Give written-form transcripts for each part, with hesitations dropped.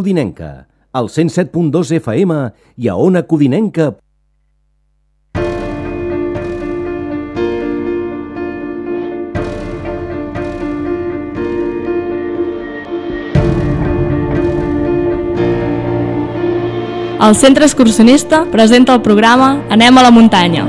Codinenca, al 107.2 FM i a Ona Codinenca. El Centre Excursionista presenta el programa Anem a la muntanya.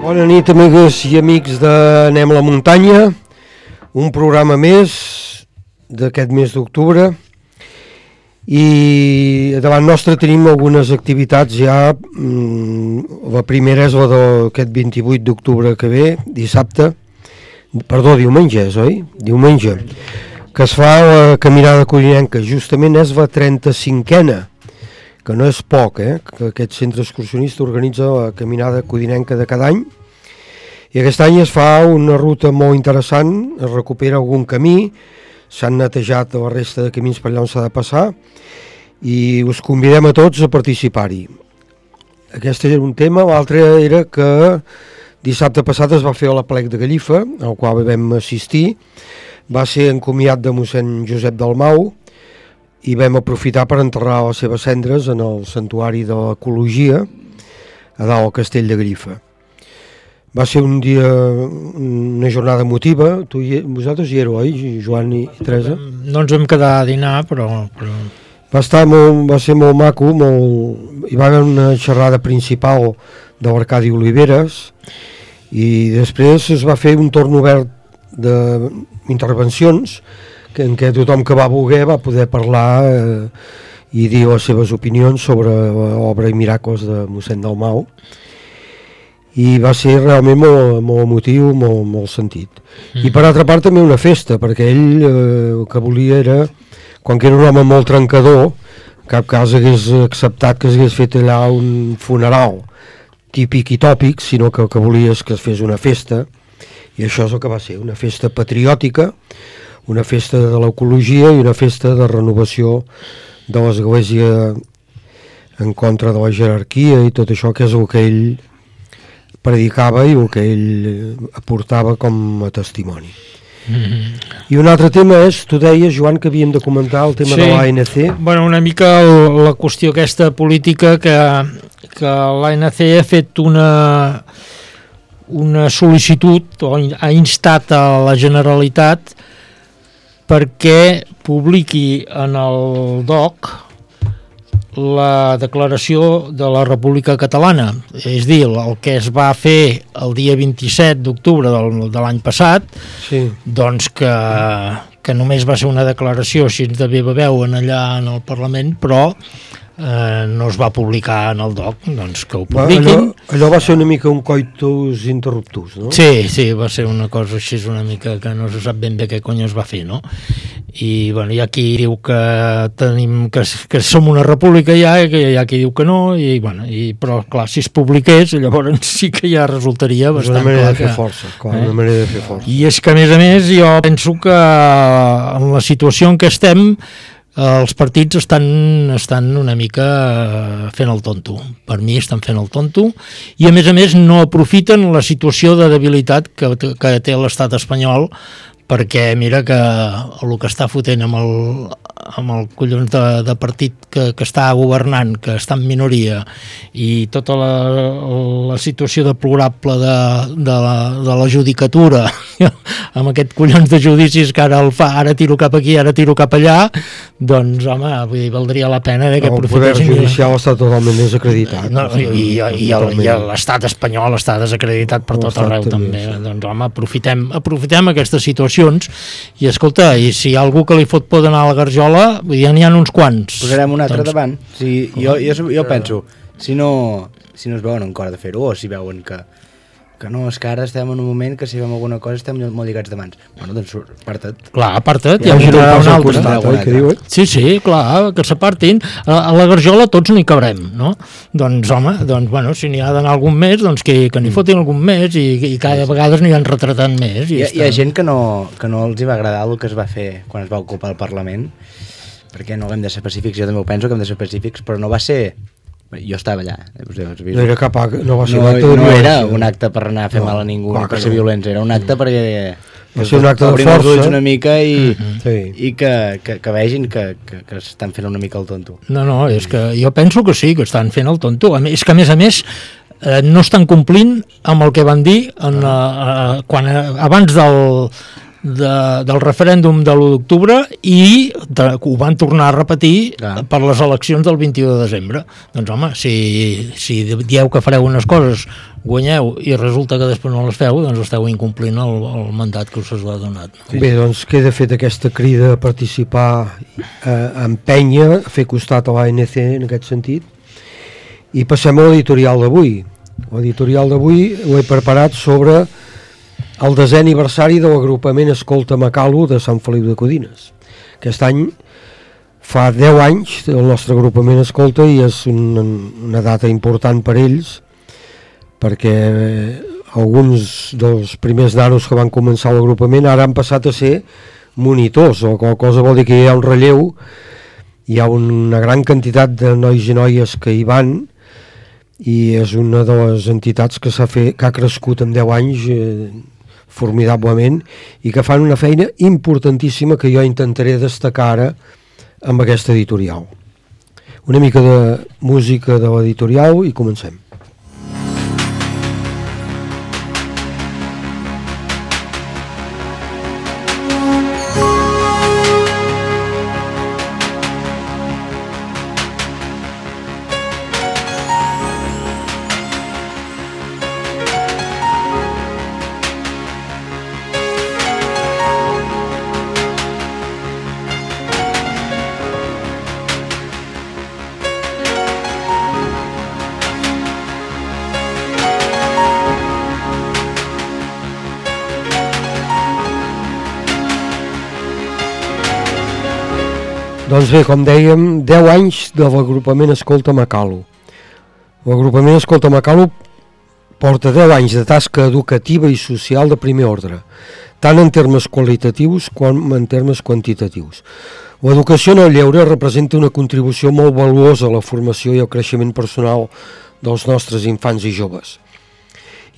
Bona nit, amigues i amics d'Anem a la muntanya, un programa més d'aquest mes d'octubre i davant nostre tenim algunes activitats ja. La primera és la d'aquest 28 d'octubre que ve, diumenge és, oi? Diumenge, que es fa la Caminada Codinenca, justament és la 35a, que no és poc, que aquest centre excursionista organitza la Caminada Codinenca de cada any. I aquest any es fa una ruta molt interessant, es recupera algun camí, s'han netejat la resta de camins per allà on s'ha de passar i us convidem a tots a participar-hi. Aquest era un tema. L'altre era que dissabte passat es va fer l'aplec de Gallifa, al qual vam assistir. Va ser encomiat de mossèn Josep Dalmau i vam aprofitar per enterrar les seves cendres en el santuari de l'ecologia a dalt al castell de Gallifa. Va ser un dia, una jornada emotiva. Vosaltres hi éreu, oi, Joan i Teresa? No ens vam quedar a dinar, però... Va ser molt maco, hi va haver una xerrada principal de l'Arcadi Oliveres i després es va fer un torn obert d'intervencions en què tothom que va voler va poder parlar i dir les seves opinions sobre l'obra i miracles de mossèn Dalmau. I va ser realment molt emotiu, molt sentit. I per altra part també una festa, perquè ell el que volia era, quan que era un home molt trencador, cap cas hagués acceptat que s'hagués fet allà un funeral típic i tòpic, sinó que el que volia és que es fes una festa, i això és el que va ser, una festa patriòtica, una festa de l'ecologia i una festa de renovació de l'església en contra de la jerarquia i tot això, que és el que ell predicava i el que ell aportava com a testimoni. I un altre tema és, tu deies, Joan, que havíem de comentar el tema de l'ANC. Bueno, una mica la qüestió aquesta política que l'ANC ha fet una sol·licitud o ha instat a la Generalitat perquè publiqui en el DOC la declaració de la República Catalana, és dir, el que es va fer el dia 27 d'octubre de l'any passat, sí. Doncs que només va ser una declaració així de viva veu allà en el Parlament, però no es va publicar en el DOC, doncs que ho publiquin. Allò va ser una mica un coitus interruptus, no? Sí, va ser una cosa així una mica que no se sap ben bé què cony es va fer, no? I bueno, hi ha qui diu que tenim que som una república ja, i hi ha qui diu que no, però clar, si es publiqués, llavors sí que ja resultaria bastant clar. Una manera de fer força, una manera de fer força. I és que, a més, jo penso que en la situació en què estem, els partits estan una mica fent el tonto. Per mi estan fent el tonto i a més no aprofiten la situació de debilitat que té l'estat espanyol, perquè mira que el que està fotent amb el collons de partit que està governant, que està en minoria, i tota la situació deplorable de la judicatura amb aquest collons de judicis que ara el fa, ara tiro cap aquí, ara tiro cap allà, doncs home, vull dir, valdria la pena que aprofitessin. El poder judicial està totalment desacreditat. I l'estat espanyol està desacreditat per tot arreu també. Doncs home, aprofitem aquestes situacions i escolta, i si hi ha algú que li fot por d'anar a la garjola, ja n'hi ha uns quants. Posarem un altre davant. Jo penso, si no es veuen en cor de fer-ho, o si veuen que no, és que ara estem en un moment que si fem alguna cosa estem molt lligats de mans. Bueno, doncs aparta't. Clar, aparta't, ja un altre. Sí, clar, que s'apartin. A la garjola tots n'hi cabrem, no? Doncs home, bueno, si n'hi ha d'anar algun més, doncs que n'hi fotin algun més i cada vegada n'hi han retratant més. Hi ha gent que no els hi va agradar el que es va fer quan es va ocupar el Parlament, perquè no hem de ser pacífics, jo també ho penso que hem de ser pacífics, però no va ser... Jo estava allà. No era cap acte, no va ser un acte de violència. No era un acte per anar a fer mal a ningú, per ser violents, era un acte perquè... Va ser un acte de força. Una mica i que vegin que estan fent una mica el tonto. No, és que jo penso que sí, que estan fent el tonto. És que a més no estan complint amb el que van dir abans del referèndum de l'1 d'octubre i ho van tornar a repetir per les eleccions del 21 de desembre. Doncs home, si dieu que fareu unes coses, guanyeu i resulta que després no les feu, doncs esteu incomplint el mandat que us ha donat. Bé, doncs queda fet aquesta crida a participar, a empènyer, a fer costat a l'ANC en aquest sentit, i passem a l'editorial d'avui. L'editorial d'avui l'he preparat sobre el 10è aniversari de l'agrupament Escolta Macalo de Sant Feliu de Codines. Aquest any fa 10 anys el nostre agrupament Escolta i és una data important per ells, perquè alguns dels primers nanos que van començar l'agrupament ara han passat a ser monitors, o qual cosa vol dir que hi ha un relleu, hi ha una gran quantitat de nois i noies que hi van, i és una de les entitats que ha crescut en 10 anys formidablement i que fan una feina importantíssima que jo intentaré destacar ara amb aquesta editorial. Una mica de música de l'editorial i comencem. Doncs bé, com dèiem, 10 anys de l'agrupament Escolta Macalo. L'agrupament Escolta Macalo porta 10 anys de tasca educativa i social de primer ordre, tant en termes qualitatius com en termes quantitatius. L'educació en el lleure representa una contribució molt valuosa a la formació i al creixement personal dels nostres infants i joves.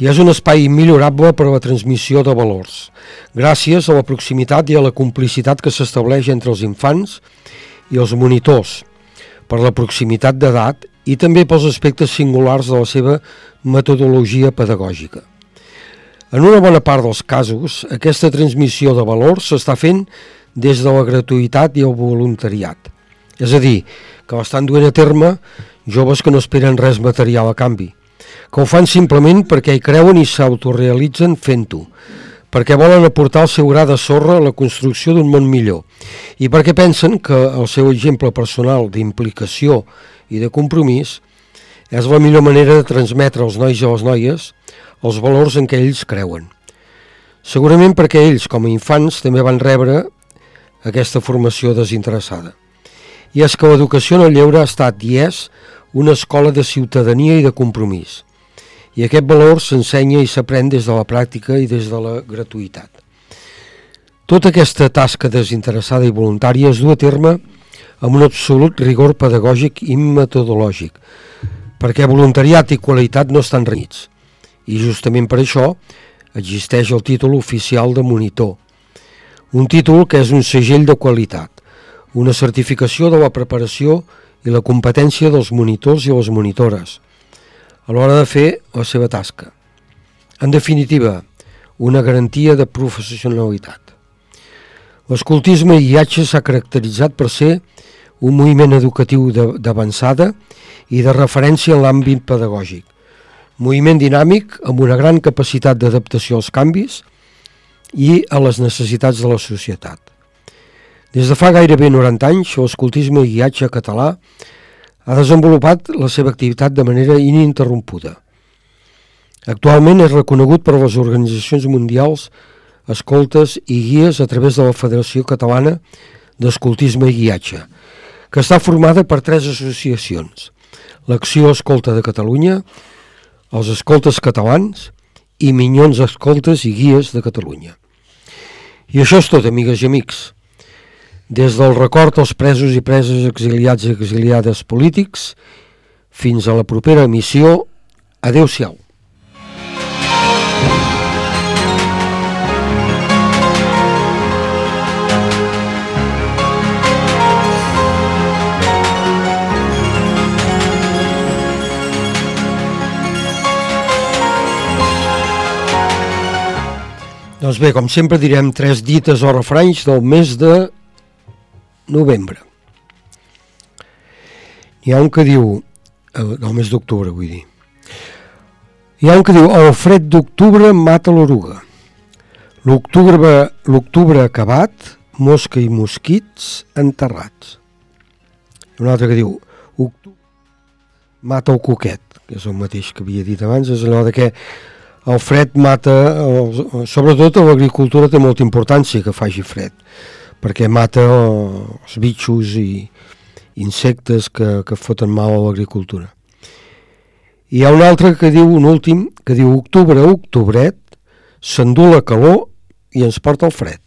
I és un espai immillorable per a la transmissió de valors, gràcies a la proximitat i a la complicitat que s'estableix entre els infants i els monitors, per la proximitat d'edat i també pels aspectes singulars de la seva metodologia pedagògica. En una bona part dels casos, aquesta transmissió de valors s'està fent des de la gratuïtat i el voluntariat. És a dir, que l'estan duent a terme joves que no esperen res material a canvi, que ho fan simplement perquè hi creuen i s'autorealitzen fent-ho, perquè volen aportar el seu gra de sorra a la construcció d'un món millor i perquè pensen que el seu exemple personal d'implicació i de compromís és la millor manera de transmetre als nois i a les noies els valors en què ells creuen. Segurament perquè ells, com a infants, també van rebre aquesta formació desinteressada. I és que l'educació en el lleure ha estat i és una escola de ciutadania i de compromís. I aquest valor s'ensenya i s'aprèn des de la pràctica i des de la gratuïtat. Tota aquesta tasca desinteressada i voluntària es du a terme amb un absolut rigor pedagògic i metodològic, perquè voluntariat i qualitat no estan renyits. I justament per això existeix el títol oficial de monitor, un títol que és un segell de qualitat, una certificació de la preparació i la competència dels monitors i les monitores a l'hora de fer la seva tasca. En definitiva, una garantia de professionalitat. L'escoltisme i guiatge s'ha caracteritzat per ser un moviment educatiu d'avançada i de referència en l'àmbit pedagògic, moviment dinàmic amb una gran capacitat d'adaptació als canvis i a les necessitats de la societat. Des de fa gairebé 90 anys, l'escoltisme i guiatge català ha desenvolupat la seva activitat de manera ininterrompuda. Actualment és reconegut per les organitzacions mundials escoltes i guies a través de la Federació Catalana d'Escoltisme i Guiatge, que està formada per 3 associacions: l'Acció Escolta de Catalunya, els Escoltes Catalans i Minyons Escoltes i Guies de Catalunya. I això és tot, amigues i amics. Des del record als presos i preses exiliats i exiliades polítics fins a la propera emissió, adeu-siau. Doncs bé, com sempre direm 3 dites o refranys del mes de novembre. Hi ha un que diu, del mes d'octubre vull dir, hi ha un que diu: el fred d'octubre mata l'oruga, l'octubre acabat, mosca i mosquits enterrats. Hi ha un altre que diu: octubre mata el coquet, que és el mateix que havia dit abans, és allò de que el fred mata, sobretot a l'agricultura té molta importància que faci fred, perquè mata els bitxos i insectes que foten mal a l'agricultura. I hi ha un altre que diu, un últim, que diu: octubre, octubret, s'endú la calor i ens porta el fred.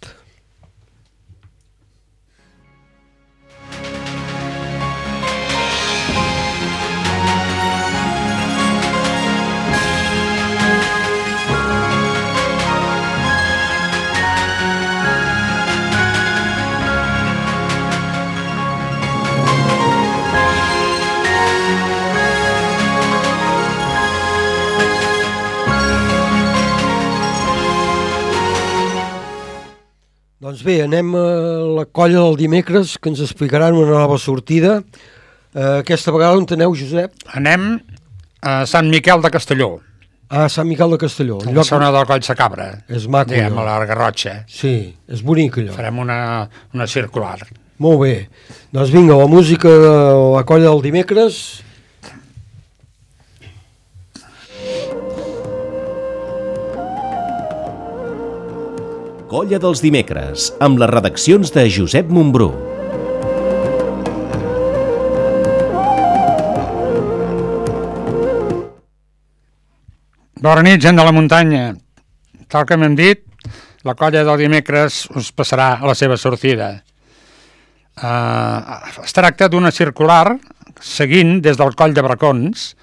Doncs bé, anem a la colla del dimecres, que ens explicaran una nova sortida. Aquesta vegada on aneu, Josep? Anem a Sant Miquel de Castelló. Ah, Sant Miquel de Castelló. A la zona del Coll de Cabra. És maco, diguem, a la Garrotxa. Sí, és bonic allò. Farem una circular. Molt bé. Doncs vinga, la música de la colla del dimecres. Colla dels dimecres, amb les redaccions de Josep Montbrú. Bona nit, gent de la muntanya. Tal com hem dit, la colla del dimecres us passarà a la seva sortida. Es tracta d'una circular seguint des del Coll de Bracons,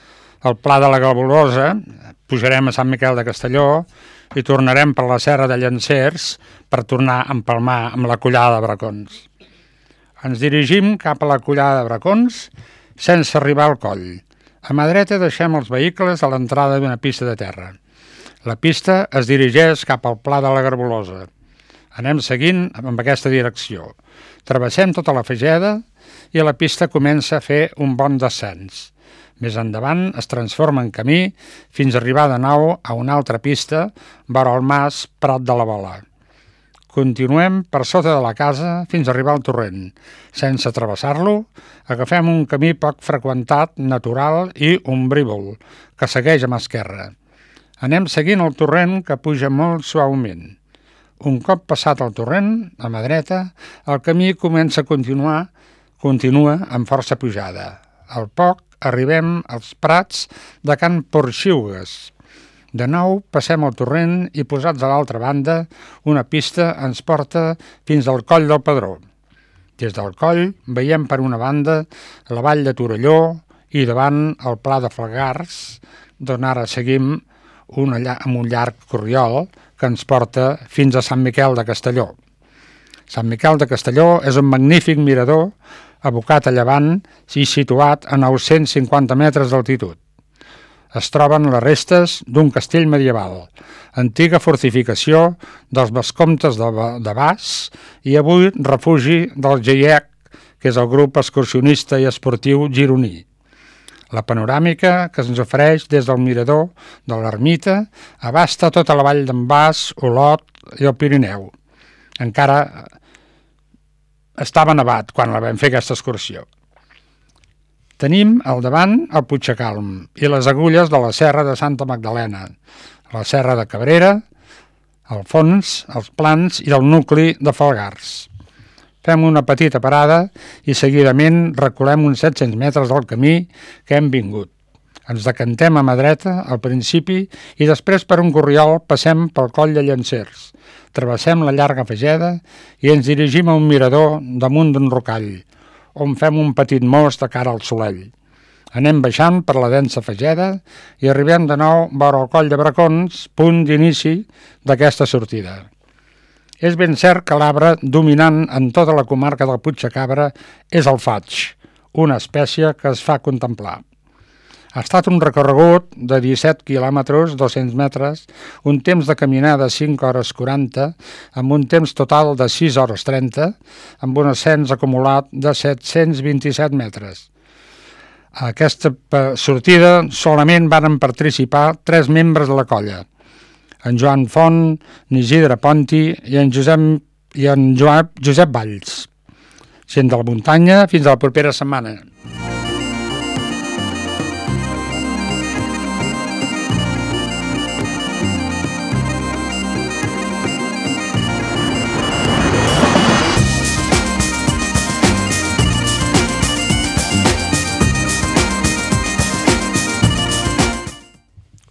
el Pla de la Gabulosa, pujarem a Sant Miquel de Castelló i tornarem per la Serra de Llancers per tornar a empalmar amb la Collada de Bracons. Ens dirigim cap a la Collada de Bracons sense arribar al coll. A mà dreta deixem els vehicles a l'entrada d'una pista de terra. La pista es dirigeix cap al Pla de la Garbulosa. Anem seguint amb aquesta direcció. Travessem tota la Fageda i la pista comença a fer un bon descens. Més endavant es transforma en camí fins a arribar de nou a una altra pista vora el mas Prat de la Bola. Continuem per sota de la casa fins a arribar al torrent. Sense travessar-lo, agafem un camí poc freqüentat, natural i ombrívol, que segueix a mà esquerra. Anem seguint el torrent que puja molt suaument. Un cop passat el torrent, a mà dreta, el camí comença a continua amb força pujada. Al poc arribem als prats de Can Porxiugues. De nou passem el torrent i posats a l'altra banda, una pista ens porta fins al Coll del Pedró. Des del coll veiem per una banda la vall de Torelló i davant el Pla de Falgars, d'on ara seguim amb un llarg corriol que ens porta fins a Sant Miquel de Castelló. Sant Miquel de Castelló és un magnífic mirador abocat a llevant i situat a 950 metres d'altitud. Es troben les restes d'un castell medieval, antiga fortificació dels vescomtes de Bas i avui refugi del GIEC, que és el grup excursionista i esportiu gironí. La panoràmica que ens ofereix des del mirador de l'ermita abasta tota la vall d'en Bas, Olot i el Pirineu. Encara estava nevat quan la vam fer aquesta excursió. Tenim al davant el Puigcalm i les agulles de la Serra de Santa Magdalena, la Serra de Cabrera, al fons, els plans i el nucli de Falgars. Fem una petita parada i seguidament reculem uns 700 metres del camí que hem vingut. Ens decantem a mà dreta al principi i després per un corriol passem pel Coll de Llancers. Travessem la llarga Fageda i ens dirigim a un mirador damunt d'un rocall, on fem un petit mos de cara al Solell. Anem baixant per la densa Fageda i arribem de nou vora el Coll de Bracons, punt d'inici d'aquesta sortida. És ben cert que l'arbre dominant en tota la comarca del Puigcabra és el faig, una espècie que es fa contemplar. Ha estat un recorregut de 17 quilòmetres, 200 metres, un temps de caminada de 5 hores 40, amb un temps total de 6 hores 30, amb un ascens acumulat de 727 metres. A aquesta sortida solament van participar 3 membres de la colla, en Joan Font, en Isidre Ponti i en Josep Valls. Gent de la muntanya, fins a la propera setmana.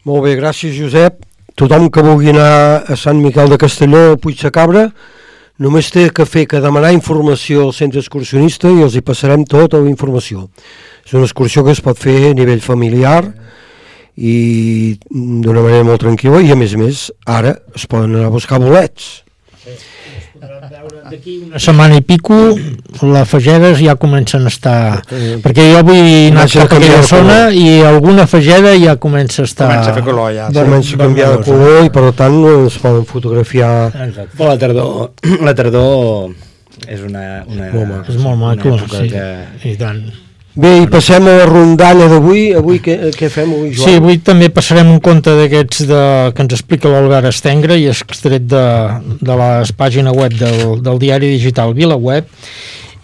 Molt bé, gràcies Josep. Tothom que vulgui anar a Sant Miquel de Castelló o Puigcabra només té que fer que demanar informació al centre excursionista i els hi passarem tota la informació. És una excursió que es pot fer a nivell familiar i d'una manera molt tranquil·la i a més ara es poden anar a buscar bolets. D'aquí una setmana i pico les fagedes ja comencen a estar, perquè jo vull anar per aquella zona i alguna fageda ja comença a estar, comença a fer color ja, comença a canviar de color i per tant es poden fotografiar. Però la tardor és és molt maco, sí, i tant. Bé, i passem a la rondalla d'avui. Avui què fem avui, Joan? Sí, avui també passarem un conte d'aquests que ens explica l'Albert Estengre i és extret de la pàgina web del diari digital VilaWeb,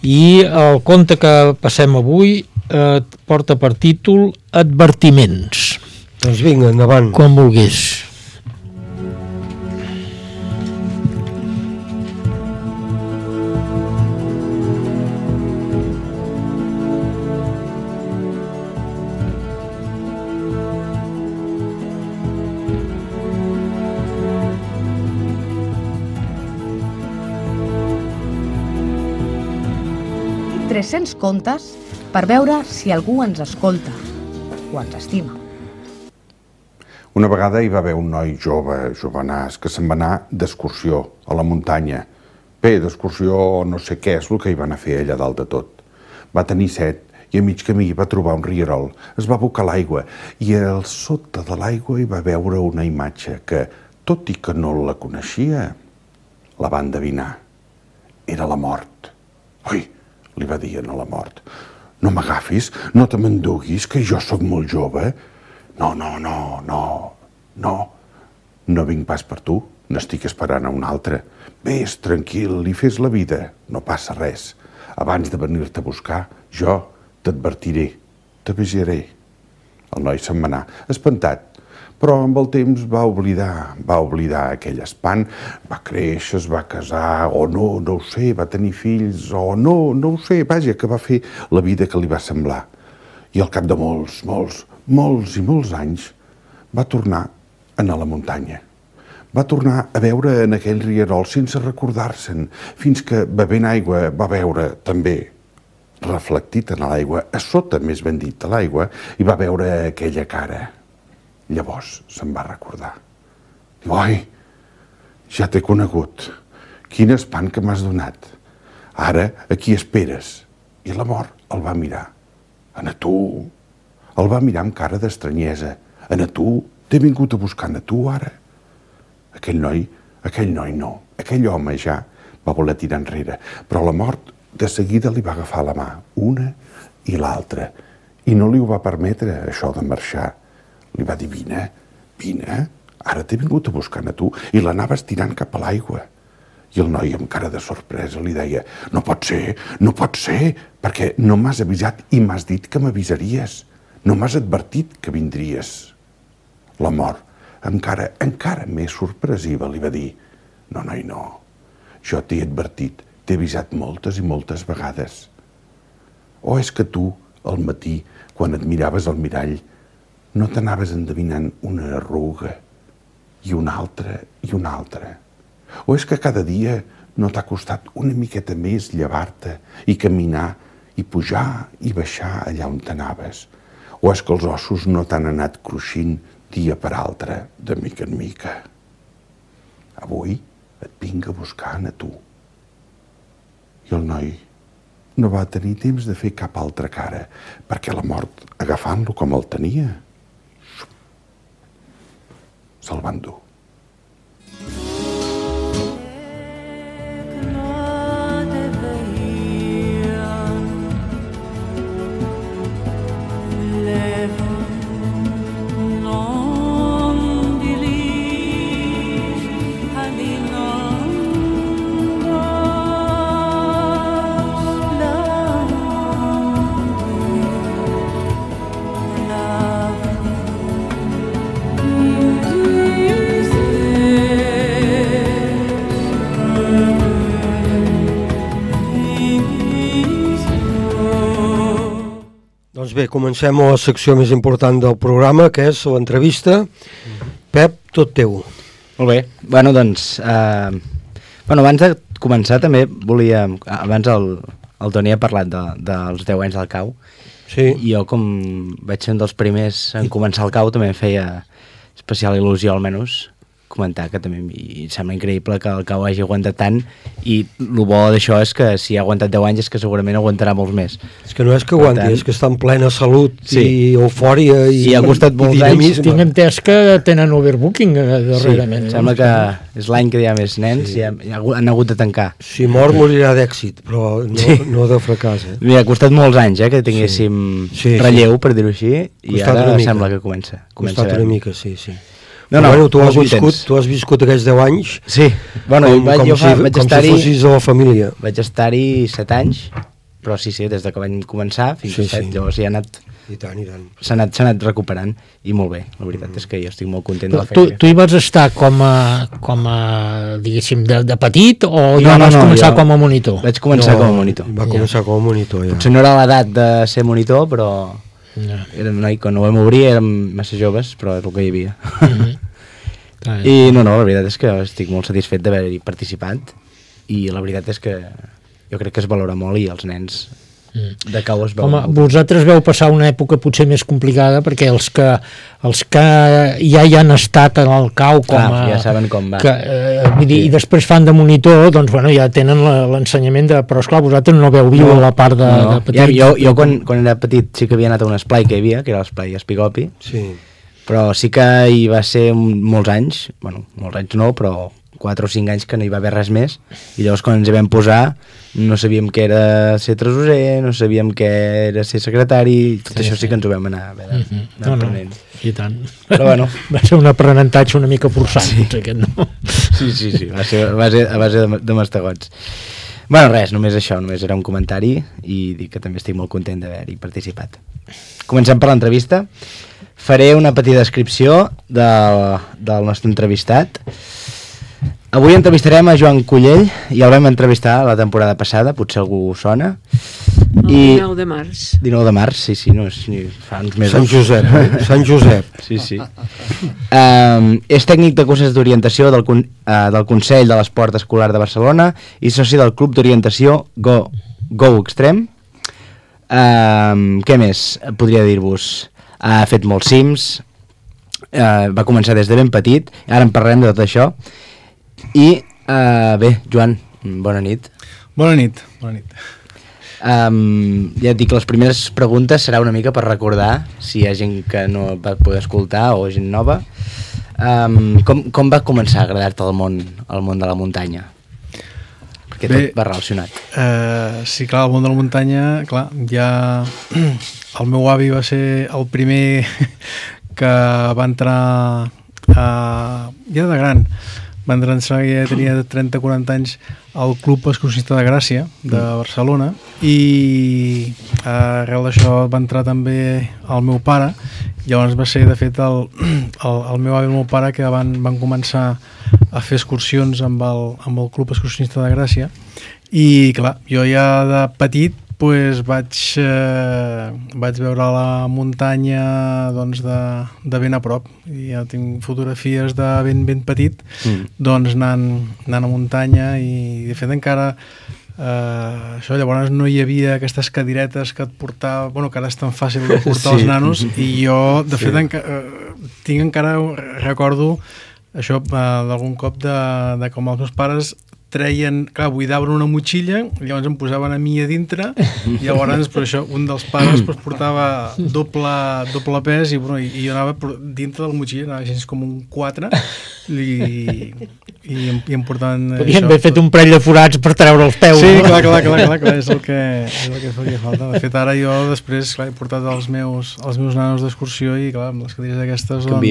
i el conte que passem avui porta per títol Advertiments. Doncs vinga, endavant. Quan vulguis. 300 contes per veure si algú ens escolta o ens estima. Una vegada hi va haver un noi jove, jovenàs, que se'n va anar d'excursió a la muntanya. Bé, d'excursió no sé què és el que hi van a fer allà dalt de tot. Va tenir set i a mig camí va trobar un rierol. Es va abocar l'aigua i al sota de l'aigua hi va veure una imatge que, tot i que no la coneixia, la va endevinar. Era la mort. Ui, li va dir a la mort, no m'agafis, no te m'enduguis, que jo sóc molt jove. No vinc pas per tu, n'estic esperant a un altre. Vés tranquil i fes la vida, no passa res. Abans de venir-te a buscar, jo t'advertiré, t'avisaré. El noi se'n va anar, espantat, però amb el temps va oblidar aquell espant, va créixer, es va casar, o no ho sé, va tenir fills, o no ho sé, vaja, que va fer la vida que li va semblar. I al cap de molts anys va tornar a anar a la muntanya. Va tornar a veure en aquell rierol sense recordar-se'n, fins que bevent aigua va veure també reflectit en l'aigua, a sota més ben dit de l'aigua, i va veure aquella cara. Llavors se'n va recordar. Diu, oi, ja t'he conegut. Quin espant que m'has donat. Ara, aquí esperes. I la mort el va mirar. A tu. El va mirar amb cara d'estranyesa. A tu. T'he vingut a buscar a tu, ara. Aquell noi no. Aquell home ja va voler tirar enrere. Però la mort de seguida li va agafar la mà, una i l'altra. I no li ho va permetre, això de marxar. Li va dir, vine, ara t'he vingut a buscar a tu, i l'anava estirant cap a l'aigua. I el noi, amb cara de sorpresa, li deia, no pot ser, perquè no m'has avisat i m'has dit que m'avisaries. No m'has advertit que vindries. La mort, encara més sorpresiva, li va dir, no, noi, no, jo t'he advertit, t'he avisat moltes i moltes vegades. O és que tu, al matí, quan et miraves al mirall, no t'anaves endevinant una arruga, i una altra, i una altra. O és que cada dia no t'ha costat una miqueta més llevar-te i caminar i pujar i baixar allà on t'anaves. O és que els ossos no t'han anat cruixint dia per altre, de mica en mica. Avui et vinc a buscar a tu. I el noi no va tenir temps de fer cap altra cara, perquè la mort, agafant-lo com el tenia, se'l va endur. Doncs bé, comencem a la secció més important del programa, que és l'entrevista. Pep, tot teu. Molt bé. Bueno, doncs, abans de començar també volia... Abans el Toni ha parlat dels 10 anys del CAU. Sí. I jo, com vaig ser un dels primers en començar el CAU, també em feia especial il·lusió, almenys, comentar que també em sembla increïble que el CAU hagi aguantat tant, i el bo d'això és que si ha aguantat 10 anys és que segurament aguantarà molts més. És que no és que aguanti, és que està en plena salut i eufòria i ha costat molts anys. Tinc entès que tenen overbooking darrerament. Sí, sembla que és l'any que hi ha més nens i han hagut de tancar. Si mor morirà d'èxit, però no de fracàs. Ha costat molts anys que tinguéssim relleu, per dir-ho així, i ara sembla que comença. Ha costat una mica, sí. No, tu has viscut aquells 10 anys com si fossis de la família. Vaig estar-hi 7 anys, però sí, des de que vaig començar fins a 7, llavors ja ha anat... I tant. S'ha anat recuperant, i molt bé. La veritat és que jo estic molt content de la feina. Tu hi vas estar com a diguéssim, de petit, o ja vas començar com a monitor? Vaig començar com a monitor. Va començar com a monitor, ja. Potser no era l'edat de ser monitor, però... Quan ho vam obrir érem massa joves, però és el que hi havia. I la veritat és que estic molt satisfet d'haver-hi participat, i la veritat és que jo crec que es valora molt, i els nens de cau es veu. Home, vosaltres veu passar una època potser més complicada perquè els que ja hi han estat en el cau ja saben com va. I després fan de monitor, doncs bueno, ja tenen l'ensenyament però esclar, vosaltres no veu viu la part de petit. Jo quan era petit sí que havia anat a un esplai que hi havia, que era l'esplai Espigopi, però sí que hi va ser molts anys no, però 4 o 5 anys que no hi va haver res més, i llavors quan ens hi vam posar no sabíem què era ser tresorer, no sabíem què era ser secretari, tot això sí que ens ho vam anar aprenent. I tant. Però bueno. Va ser un aprenentatge una mica forçat, aquest, no? Sí, va ser a base de mastegots. Bueno, res, només això, només era un comentari i dic que també estic molt content d'haver-hi participat. Comencem per l'entrevista. Faré una petita descripció del nostre entrevistat. Avui entrevistarem a Joan Cullell, ja el vam entrevistar la temporada passada, potser algú sona. El 19 de març. 19 de març, sí, no és ni fa uns mesos. Sant Josep. Sí. És tècnic de curses d'orientació del Consell de l'Esport Escolar de Barcelona i soci del Club d'Orientació Go Extreme. Què més podria dir-vos? Ha fet molts cims, va començar des de ben petit, ara en parlarem de tot això. I bé, Joan, bona nit. Bona nit. Ja et dic, les primeres preguntes serà una mica per recordar, si hi ha gent que no va poder escoltar o gent nova. Com va començar a agradar-te el món de la muntanya? Perquè tot va relacionat. Sí, clar, el món de la muntanya, clar, ja el meu avi va ser el primer que va entrar ja de gran. Va entrar, ja tenia 30-40 anys al Club Excursionista de Gràcia de Barcelona i arrel d'això va entrar també el meu pare. Llavors va ser de fet el meu avi i el meu pare que van començar a fer excursions amb el Club Excursionista de Gràcia i clar, jo ja de petit pues vaig veure la muntanya doncs, de ben a prop i ja tinc fotografies de ben petit doncs anant a muntanya i de fet encara això llavors no hi havia aquestes cadiretes que et portava, bueno, que ara és tan fàcil de portar els nanos i jo de fet recordo això d'algun cop de com els meus pares treien, clar, buidaven una motxilla i llavors em posaven a mi a dintre i llavors per això un dels pares portava doble pes i jo anava dintre de la motxilla, anava així com un 4 i em portaven podien haver fet un parell de forats per treure els peus. Sí, clar, és el que faria falta. De fet ara jo després he portat els meus nanos d'excursió i clar, amb les cadires aquestes doncs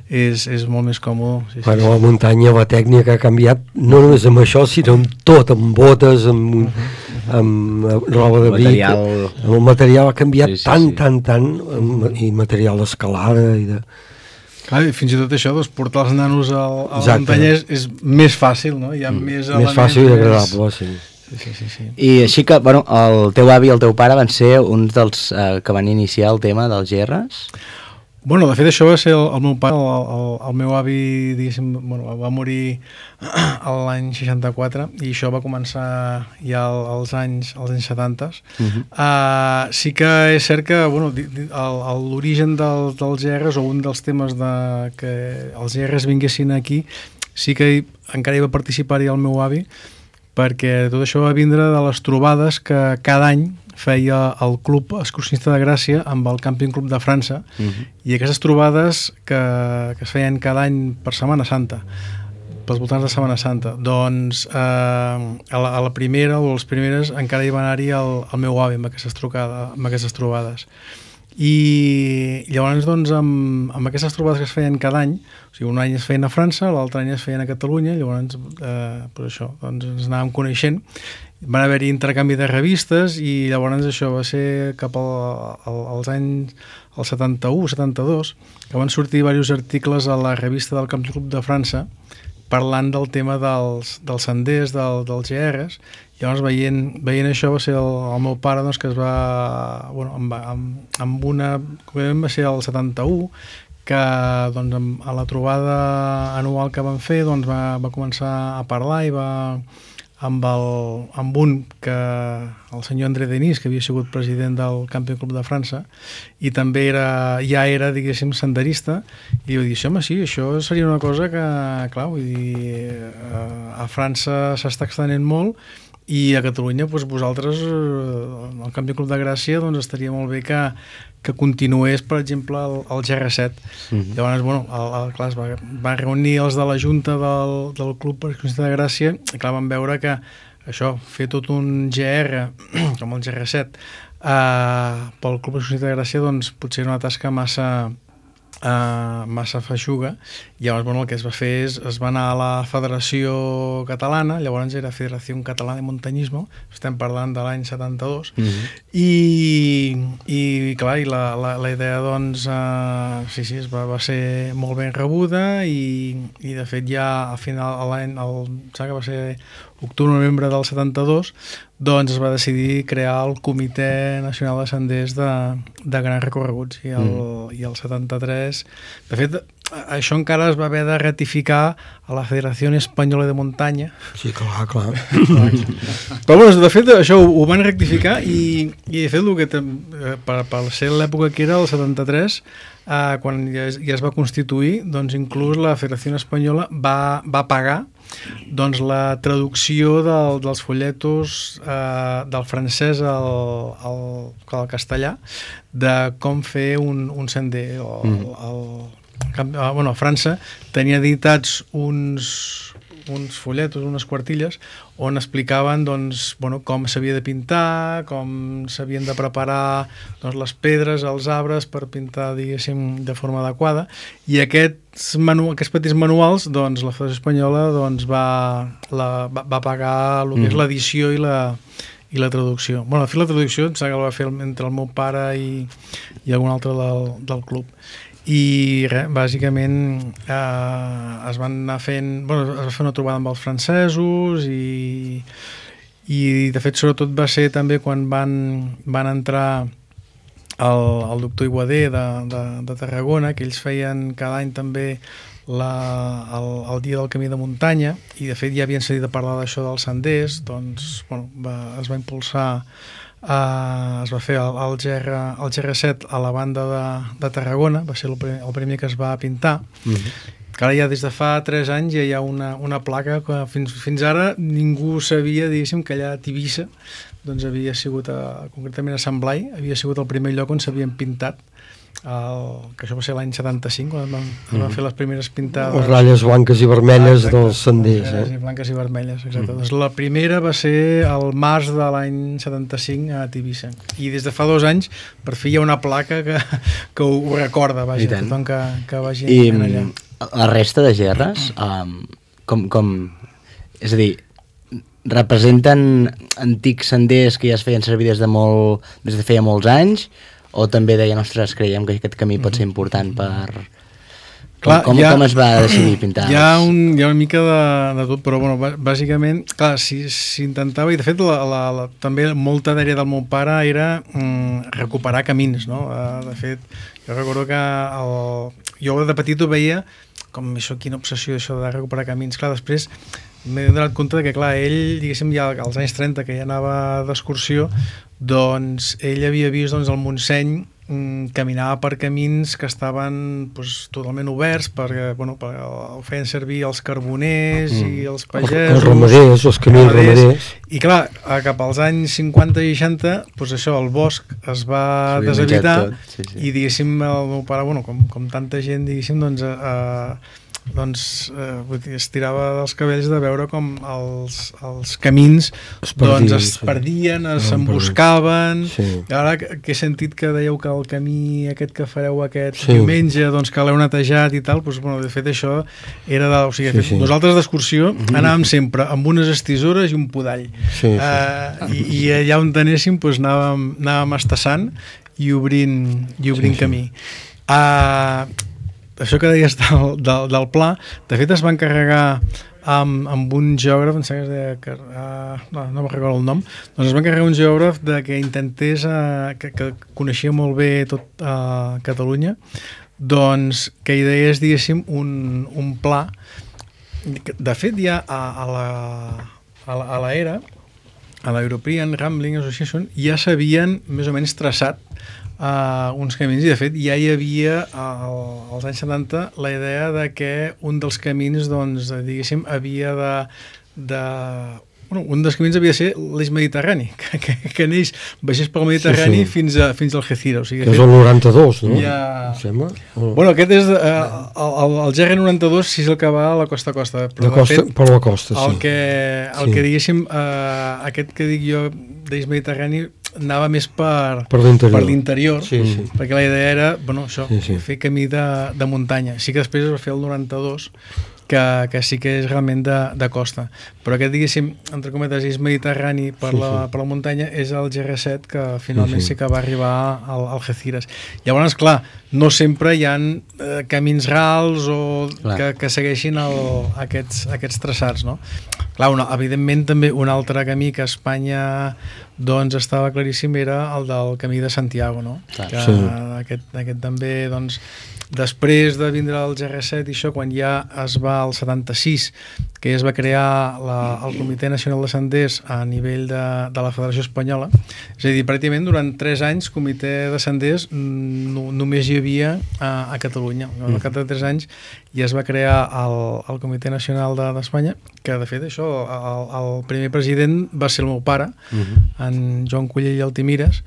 és molt més còmode. Bueno, la muntanya, la tècnica ha canviat no només amb això, sinó amb tot, amb botes, amb roba de bic, amb el material ha canviat tant, i material d'escalada i de... Clar, fins i tot això, doncs, portar els nanos a la muntanya és més fàcil, no? Hi ha més elements... Més fàcil i agradable, sí. Sí. I així que, bueno, el teu avi i el teu pare van ser uns dels que van iniciar el tema dels GRs? Bueno, de fet això va ser el meu pare, el meu avi, diguéssim, bueno, va morir l'any 64 i això va començar ja als anys 70. Sí que és cert que bueno, l'origen dels GRs o un dels temes que els GRs vinguessin aquí sí que encara hi va participar-hi el meu avi perquè tot això va vindre de les trobades que cada any feia el Club Excursionista de Gràcia amb el Camping Club de França i aquestes trobades que es feien cada any per Setmana Santa, pels voltants de Setmana Santa, doncs a la primera o les primeres encara hi va anar-hi el meu avi amb aquestes trobades. I llavors doncs amb aquestes trobades que es feien cada any, o sigui, un any es feien a França, l'altre any es feien a Catalunya, llavors per això doncs ens anàvem coneixent, van haver-hi intercanvi de revistes i llavors això va ser cap als anys el 71-72 que van sortir diversos articles a la revista del Camp Club de França parlant del tema dels senders, dels GRs. Llavors veient això va ser el meu pare doncs, que es va bueno, amb una va ser el 71 que doncs, a la trobada anual que van fer doncs, va començar a parlar i va amb un que el senyor André Denis, que havia sigut president del Camping Club de França, i també ja era, diguéssim, senderista, i jo dir, home, sí, això seria una cosa que, clar, vull dir, a França s'està extenent molt, i a Catalunya, doncs, vosaltres, el Camping Club de Gràcia, doncs estaria molt bé que continués, per exemple, el GR7. Llavors, bueno, clar, es va reunir els de la Junta del Club Excursionista de Gràcia, i clar, van veure que això, fer tot un GR, com el GR7, pel Club Excursionista de Gràcia, doncs potser era una tasca massa feixuga. Llavors, bueno, el que es va fer és es va anar a la Federació Catalana, llavors era Federació Catalana de Muntanyismo, estem parlant de l'any 72, i clar, i la idea, doncs, sí, va ser molt ben rebuda, i de fet ja al final, que va ser octubre-novembre del 72, doncs es va decidir crear el Comitè Nacional de Senders de Grans Recorreguts, i el 73, de fet, això encara es va haver de ratificar a la Federació Espanyola de Muntanya. Sí, clar. Però bueno, de fet això ho van rectificar, i de fet el que per ser l'època que era el 73, quan ja es va constituir, doncs inclús la Federació Espanyola va pagar doncs la traducció dels folletos del francès al castellà de com fer un sender. A França tenia editats uns folletos, unes quartilles, on explicaven, doncs, com s'havia de pintar, com s'havien de preparar, doncs, les pedres, els arbres, per pintar, diguéssim, de forma adequada, i aquests petits manuals, doncs, la Federació Espanyola, doncs, va pagar el que és l'edició i la traducció. Bueno, de fet, la traducció em sembla que la va fer entre el meu pare i algun altre del club. I res, bàsicament es van anar fent, es va fer una trobada amb els francesos, i de fet sobretot va ser també quan van entrar el doctor Iguader de Tarragona, que ells feien cada any també el dia del camí de muntanya, i de fet ja havien sentit a parlar d'això dels senders, doncs es va impulsar, es va fer el GR7 a la banda de Tarragona, va ser el primer que es va pintar, que ara ja des de fa 3 anys ja hi ha una placa que fins ara ningú sabia, diguéssim, que allà a Tivissa doncs havia sigut, concretament a Sant Blai, havia sigut el primer lloc on s'havien pintat, que això va ser l'any 75, quan es van fer les primeres pintades. Les ratlles blanques i vermelles dels senders. Blanques i vermelles, exacte. Doncs la primera va ser el març de l'any 75 a Tivissa. I des de fa 2 anys, per fi hi ha una placa que ho recorda, vaja, tothom que vagi allà. I la resta de gerres, és a dir, representen antics senders que ja es feien servir des de feia molts anys, o també deien, ostres, creiem que aquest camí pot ser important per... Com es va decidir pintar? Hi ha una mica de tot, però bàsicament, clar, s'intentava, i de fet també molta d'àrea del meu pare era recuperar camins, no? De fet, jo recordo que jo de petit ho veia com això, quina obsessió això de recuperar camins. Clar, després m'he donat compte que, clar, ell, diguéssim, ja als anys 30, que ja anava d'excursió, doncs ell havia vist el Montseny, caminava per camins que estaven totalment oberts, perquè ho feien servir els carboners i els pagesos, els ramaders, els camins ramaders, i clar, cap als anys 50 i 60 això, el bosc es va deshabitar, i diguéssim el meu pare, com tanta gent, diguéssim, es tirava dels cabells de veure com els camins es perdien, s'emboscaven. Ara que he sentit que dèieu que el camí aquest que fareu aquest diumenge, que l'heu netejat i tal, de fet això era nosaltres d'excursió anàvem sempre amb unes estisores i un podall, i allà on anéssim anàvem estassant i obrint camí. Això que deies del pla, de fet es va encarregar amb un geògraf, no me'n recordo el nom, doncs es va encarregar un geògraf que intentés, que coneixia molt bé tot Catalunya, doncs que ideés, diguéssim, un pla. De fet, ja a a l'ERA, a l'European Rambling Association, ja s'havien més o menys traçat uns camins, i de fet ja hi havia als anys 70 la idea de que un dels camins, doncs, diguéssim, havia un dels camins havia de ser l'eix mediterrani, que neix, baixés pel Mediterrani fins a Algeciras. O sigui, que és el 92, no? Ja... Sembla? Bueno, aquest és el GR92, si és el que va a la costa-costa. Per la costa, sí. El que diguéssim, aquest que dic jo d'eix mediterrani anava més per l'interior, perquè la idea era, bueno, això, fer camí de muntanya. Sí que després es va fer el 92, que sí que és realment de costa, però aquest, diguéssim, entre cometes, és mediterrani per la muntanya, és el GR7 que finalment sí que va arribar al Algeciras. Llavors, clar, no sempre hi ha camins rals o que segueixin aquests traçats, no? Clar, evidentment també un altre camí que a Espanya doncs estava claríssim era el del camí de Santiago, no? Aquest també, doncs, després de vindre el GR7 i això, quan ja es va al 76, que ja es va crear el Comitè Nacional de Senders a nivell de la Federació Espanyola, és a dir, pràcticament durant 3 anys Comitè de Senders només hi havia a Catalunya. Al cap de 3 anys ja es va crear el Comitè Nacional d'Espanya, que de fet això, el primer president va ser el meu pare, en Joan Cullell i Altimires,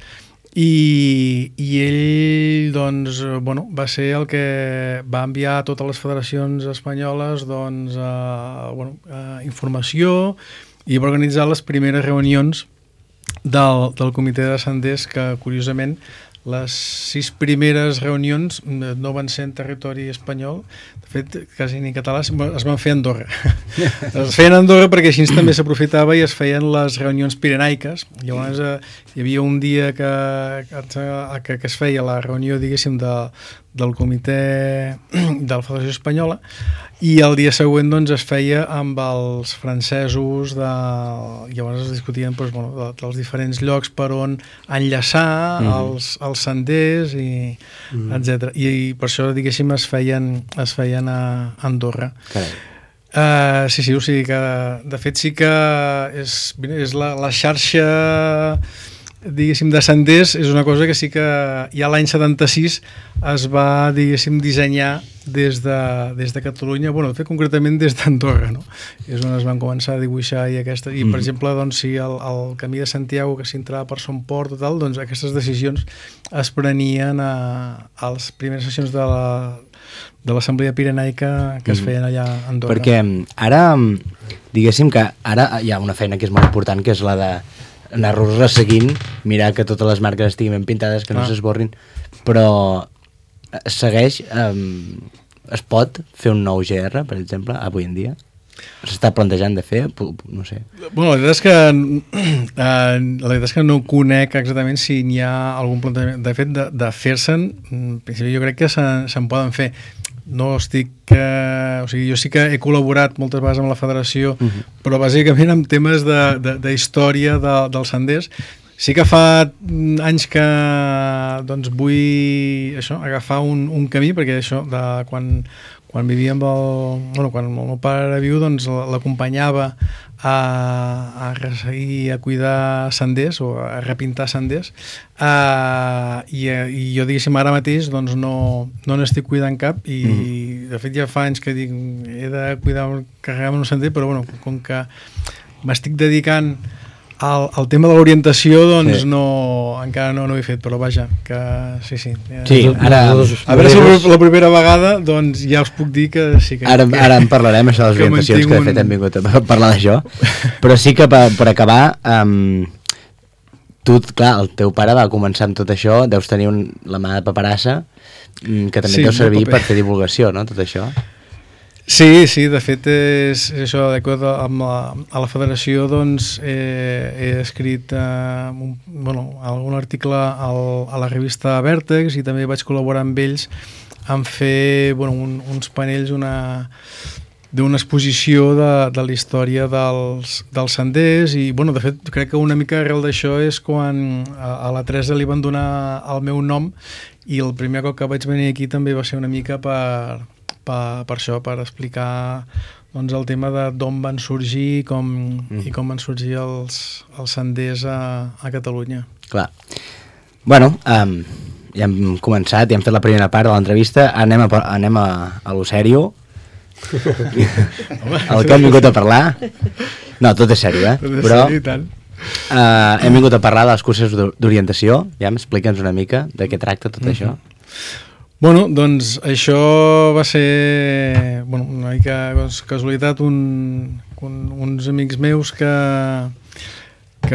i ell, doncs, bueno, va ser el que va enviar a totes les federacions espanyoles, doncs, informació, i va organitzar les primeres reunions del Comitè de Senders, que curiosament les 6 primeres reunions no van ser en territori espanyol, de fet quasi ni català, es van fer a Andorra. Es feien a Andorra perquè així també s'aprofitava i es feien les reunions pirenaiques. Llavors hi havia un dia que es feia la reunió, diguéssim, del comitè de la Federació Espanyola, i el dia següent, doncs, es feia amb els francesos, llavors es discutien, doncs, bueno, dels diferents llocs per on enllaçar els senders, etc. I per això, diguéssim, es feien a Andorra. Sí, o sigui que de fet sí que és la xarxa, diguéssim, de senders, és una cosa que sí que ja l'any 76 es va, diguéssim, dissenyar des de Catalunya, bueno, de fet concretament des d'Andorra, no? És on es van començar a dibuixar i per exemple, doncs, si el camí de Santiago que s'entrava per Son Port o tal, doncs aquestes decisions es prenien a les primeres sessions de l'Assemblea Pirenaica que es feien allà a Andorra. Perquè ara, diguéssim que ara hi ha una feina que és molt important, que és la de anar-los resseguint, mirar que totes les marques estiguin ben pintades, que no s'esborrin, però segueix, es pot fer un nou GR, per exemple, avui en dia? S'està plantejant de fer? No sé. Bueno, la veritat és que no conec exactament si n'hi ha algun plantejament. De fet, de fer-se'n, jo crec que se'n poden fer. No estic... o sigui, jo sí que he col·laborat moltes vegades amb la federació, però bàsicament amb temes d'història dels senders. Sí que fa anys que doncs, vull agafar un camí, perquè això, quan vivia amb quan el meu pare era viu, doncs l'acompanyava a resseguir, a cuidar senders o a repintar senders, i jo, diguéssim, ara mateix doncs, no n'estic cuidant cap, i de fet ja fa anys que dic he de cuidar, carregar-me un sender, però bueno, com que m'estic dedicant al tema de l'orientació, doncs encara no ho he fet, però vaja, que sí. Ara, a veure si la primera vegada, doncs ja us puc dir que sí que... Ara en parlarem, això de les orientacions, que de fet hem vingut a parlar d'això, però sí que per acabar, tu, clar, el teu pare va començar amb tot això, deus tenir la mà de paperassa, que també deu servir per fer divulgació, no?, tot això. Sí, de fet és això, d'acord amb la federació, doncs he escrit algun article a la revista Vèrtex, i també vaig col·laborar amb ells en fer uns panells d'una exposició de la història dels senders, i de fet crec que una mica arrel d'això és quan a la Teresa li van donar el meu nom, i el primer cop que vaig venir aquí també va ser una mica per per això, per explicar doncs, el tema de d'on van sorgir i com van sorgir els senders a Catalunya. Clar. Bueno, ja hem començat, ja hem fet la primera part de l'entrevista, anem a lo sèrio. El que hem vingut a parlar... No, tot és sèrio, però hem vingut a parlar de les curses d'orientació. Ja explica'ns una mica de què tracta tot això. Bueno, doncs això va ser una mica casualitat, uns amics meus que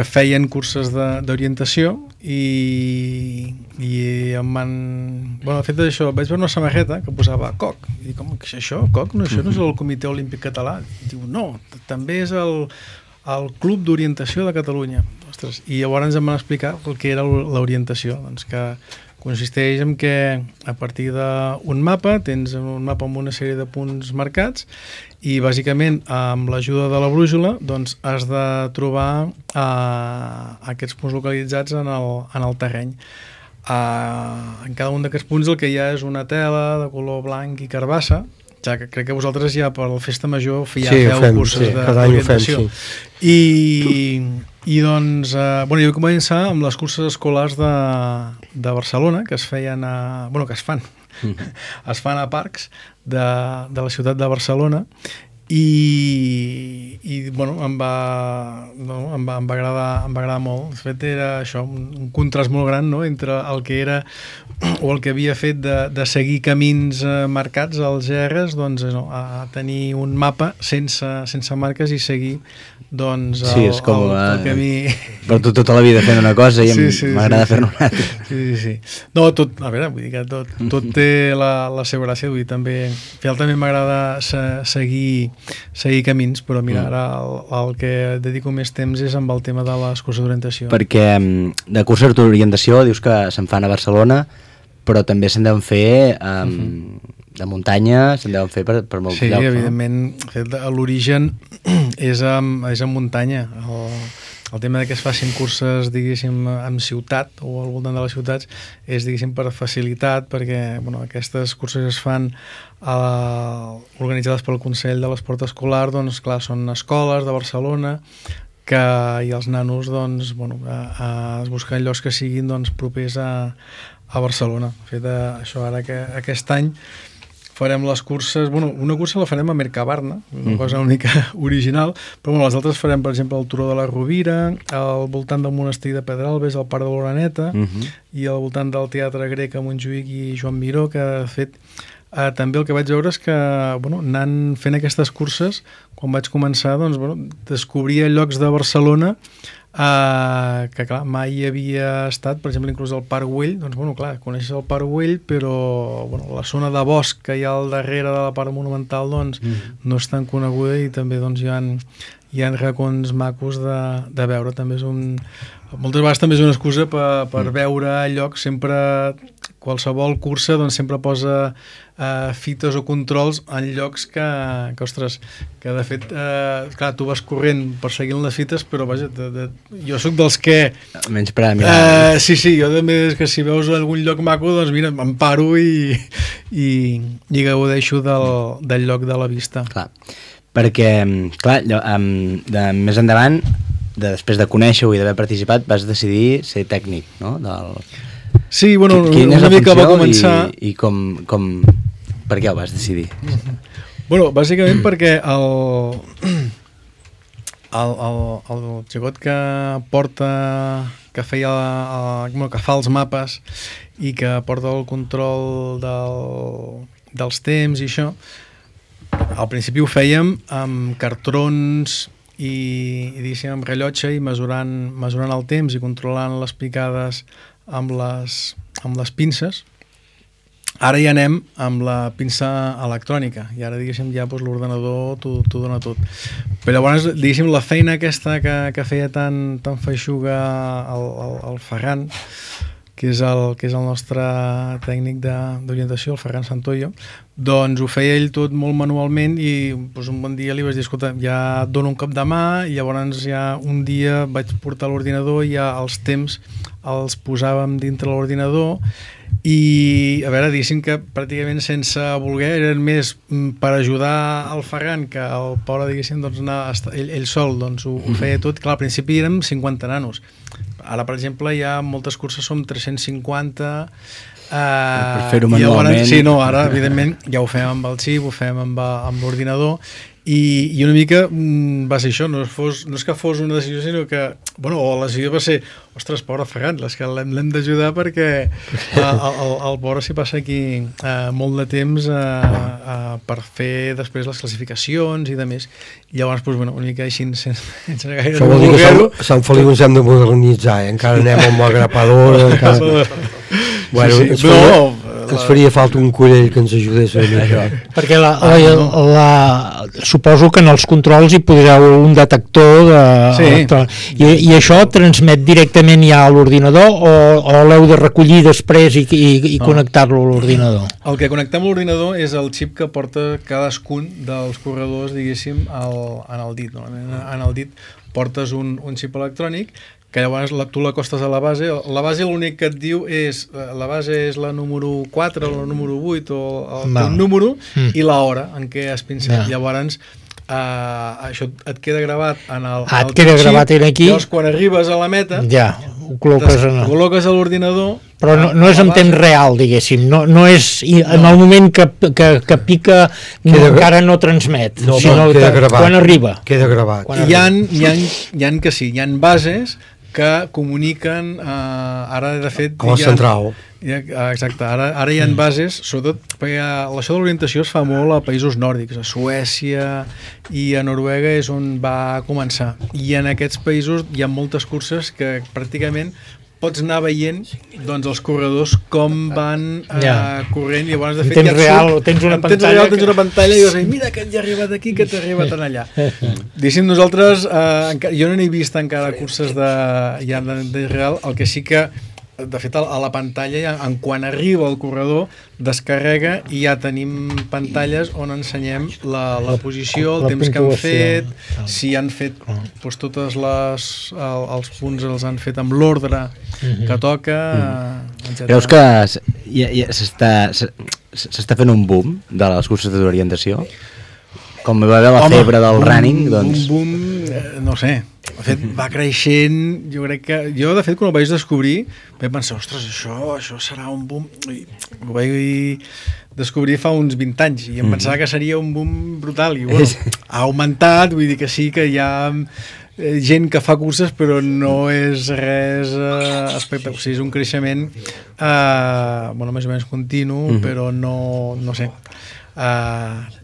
feien curses d'orientació i em van... Bueno, de fet d'això, vaig veure una samarreta que posava COC, i dic, com que això, COC? No, això no és el Comitè Olímpic Català. Diu, no, també és el Club d'Orientació de Catalunya. Ostres, i llavors em van explicar el que era l'orientació, doncs que consisteix en que a partir d'un mapa, tens un mapa amb una sèrie de punts marcats i bàsicament amb l'ajuda de la brúixola doncs has de trobar aquests punts localitzats en el terreny. En cada un d'aquests punts el que hi ha és una tela de color blanc i carbassa, ja que crec que vosaltres ja per la festa major feu curses d'orientació. I doncs, jo vaig començar amb les curses escolars de Barcelona, que es feien que es fan a parcs de la ciutat de Barcelona, i em va agradar molt. De fet, era això, un contrast molt gran, no?, entre el que era o el que havia fet de seguir camins marcats als GRs, doncs a tenir un mapa sense marques i seguir doncs el camí. Per tu tota la vida fent una cosa i m'agrada fer-ne una altra. Sí. No, tot, a veure, vull dir que tot té la seva gràcia, vull dir, també m'agrada seguir camins, però mira, ara el que dedico més temps és amb el tema de les curses d'orientació. Perquè de curses d'orientació dius que se'n fan a Barcelona, però també se'n deuen fer de muntanya, se'n deuen fer per molts llocs. Sí, evidentment, l'origen és en muntanya. El tema que es facin curses, diguéssim, en ciutat o al voltant de les ciutats és, diguéssim, per facilitat, perquè aquestes curses es fan organitzades pel Consell de l'Esport Escolar, doncs clar, són escoles de Barcelona i els nanos doncs, es busquen llocs que siguin propers a Barcelona. De fet, això ara que aquest any farem les curses, una cursa la farem a Mercabarna, una cosa única original, però les altres farem, per exemple, el Turó de la Rovira, al voltant del monestir de Pedralbes, al Parc de l'Oreneta, i al voltant del Teatre Grec a Montjuïc i Joan Miró, que de fet també el que vaig veure és que anant fent aquestes curses, quan vaig començar, doncs, descobria llocs de Barcelona que clar, mai havia estat, per exemple, inclús al Parc Güell, doncs clar, coneixes el Parc Güell, però la zona de bosc que hi ha al darrere de la part monumental doncs no és tan coneguda i també doncs hi ha racons macos de veure. També és moltes vegades també és una excusa per veure llocs. Sempre qualsevol cursa doncs sempre posa fites o controls en llocs que ostres, que de fet clar, tu vas corrent perseguint les fites, però vaja, jo sóc dels que menys per a mirar. Sí, jo també és que si veus algun lloc maco, doncs mira, em paro i gaudeixo del lloc de la vista. Clar, perquè clar, més endavant, després de conèixer-ho i d'haver participat, vas decidir ser tècnic, no? Sí, una mica va començar... I com... Per què ho vas decidir? Bàsicament perquè el xicot que porta, que fa els mapes i que porta el control dels temps i això, al principi ho fèiem amb cartrons i diguéssim amb rellotge i mesurant el temps i controlant les picades amb les pinces. Ara ja anem amb la pinça electrònica i ara, diguéssim, ja l'ordenador t'ho dona tot. Però llavors, diguéssim, la feina aquesta que feia tan feixuga el Ferran, que és el nostre tècnic d'orientació, el Ferran Santoyo, doncs ho feia ell tot molt manualment i doncs, un bon dia li vaig dir, escolta, ja et dono un cop de mà, i llavors ja un dia vaig portar l'ordinador i ja els temps els posàvem dintre l'ordinador i a veure, diguéssim que pràcticament sense voler eren més per ajudar el Ferran, que el pobre, diguéssim, doncs, ell sol doncs, ho feia tot. Clar, al principi érem 50 nanos, ara per exemple hi ha moltes curses, som 350, per fer-ho manualment. Sí, no, ara evidentment ja ho fem amb el xip, ho fem amb l'ordinador, i una mica va ser això, no és que fos una decisió, sinó que, bueno, la decisió va ser, ostres, pobre Ferran, que l'hem d'ajudar perquè el pobre s'hi passa aquí molt de temps per fer després les classificacions i de més. I llavors, doncs, bueno, una mica així sense gaire... Això vol dir que Sant Feliu ens hem de modernitzar, encara anem amb la grapadora, encara... Bueno, ens faria falta un collell que ens ajudés a mica. Perquè suposo que en els controls hi podreu un detector i això transmet directament ja a l'ordinador o l'heu de recollir després i connectar-lo a l'ordinador? El que connectem a l'ordinador és el xip que porta cadascun dels corredors, diguéssim, en el dit. En el dit portes un xip electrònic que llavors tu l'acostes a la base. La base l'únic que et diu és la base és la número 4 o la número 8 o el número i l'hora en què has pinçat. Llavors això et queda gravat en el xip, aquí. Llavors quan arribes a la meta ho col·loques a l'ordinador, però no és en temps real, diguéssim, no és en el moment que pica encara no transmet, sinó quan arriba. Queda gravat. Hi ha que sí, hi ha bases que comuniquen ara de fet com a central. Exacte, ara hi ha bases, sobretot perquè això de l'orientació es fa molt a països nòrdics, a Suècia i a Noruega és on va començar, i en aquests països hi ha moltes curses que pràcticament pots anar veient doncs, els corredors com van corrent, i llavors de fet tens una pantalla i dius, mira que ja ha arribat aquí, que t'ha arribat en allà. Diguéssim, nosaltres jo no n'he vist encara curses de real, el que sí que de fet a la pantalla en quan arriba el corredor descarrega i ja tenim pantalles on ensenyem la posició, el temps que han fet, si han fet doncs, totes els punts els han fet amb l'ordre que toca, etc. Creus que s'està fent un boom de les curses d'orientació? Com va haver la febre del running, doncs... Un boom, no sé, de fet va creixent, jo crec que... Jo de fet quan ho vaig descobrir vaig pensar, ostres, això serà un boom, i ho vaig descobrir fa uns 20 anys i em pensava que seria un boom brutal i bueno, ha augmentat, vull dir que sí que hi ha gent que fa curses però no és res espectacular, o sigui, és un creixement més o menys continu, però no sé,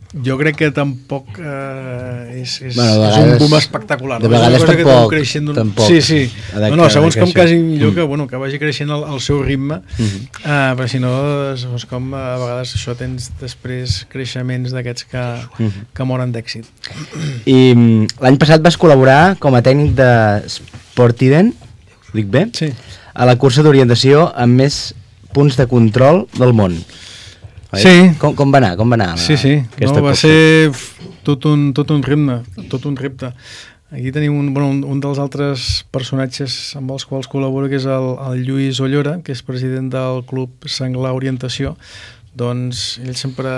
jo crec que tampoc és un boom espectacular. De vegades tampoc. Sí. No, segons com quasi millor que vagi creixent al seu ritme, perquè si no, com a vegades això tens després creixements d'aquests que moren d'èxit. I l'any passat vas col·laborar com a tècnic de Sportiden, dic bé? Sí. A la cursa d'orientació amb més punts de control del món. Sí. Com va anar? Sí. No, va ser tot un repte. Aquí tenim un dels altres personatges amb els quals col·labora, que és el Lluís Ollora, que és president del Club Senglar Orientació. Doncs ell sempre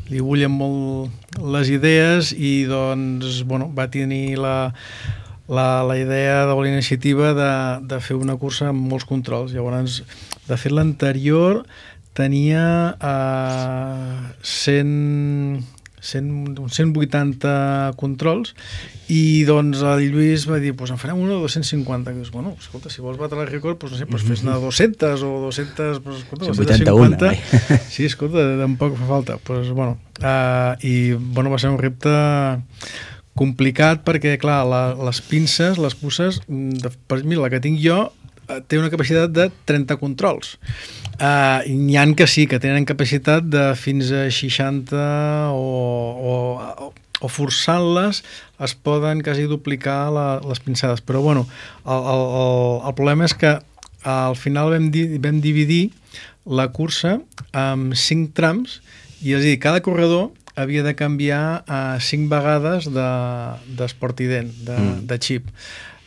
li bullen molt les idees i doncs, va tenir la idea de la iniciativa de fer una cursa amb molts controls. Llavors, de fet, l'anterior tenia 180 controls i doncs el Lluís va dir, en farem una de 250, que dius, escolta, si vols batre el rècord, no sé, fes-ne 200 o 200, escolta, 250. Sí, escolta, tampoc fa falta. I va ser un repte complicat perquè, clar, les pinces, les puces, per mi la que tinc jo té una capacitat de 30 controls. N'hi ha que sí, que tenen capacitat de fins a 60 o forçant-les es poden quasi duplicar les pinçades. Però el problema és que al final vam dividir la cursa en 5 trams, i és a dir, cada corredor havia de canviar 5 vegades d'Sportiden, de xip.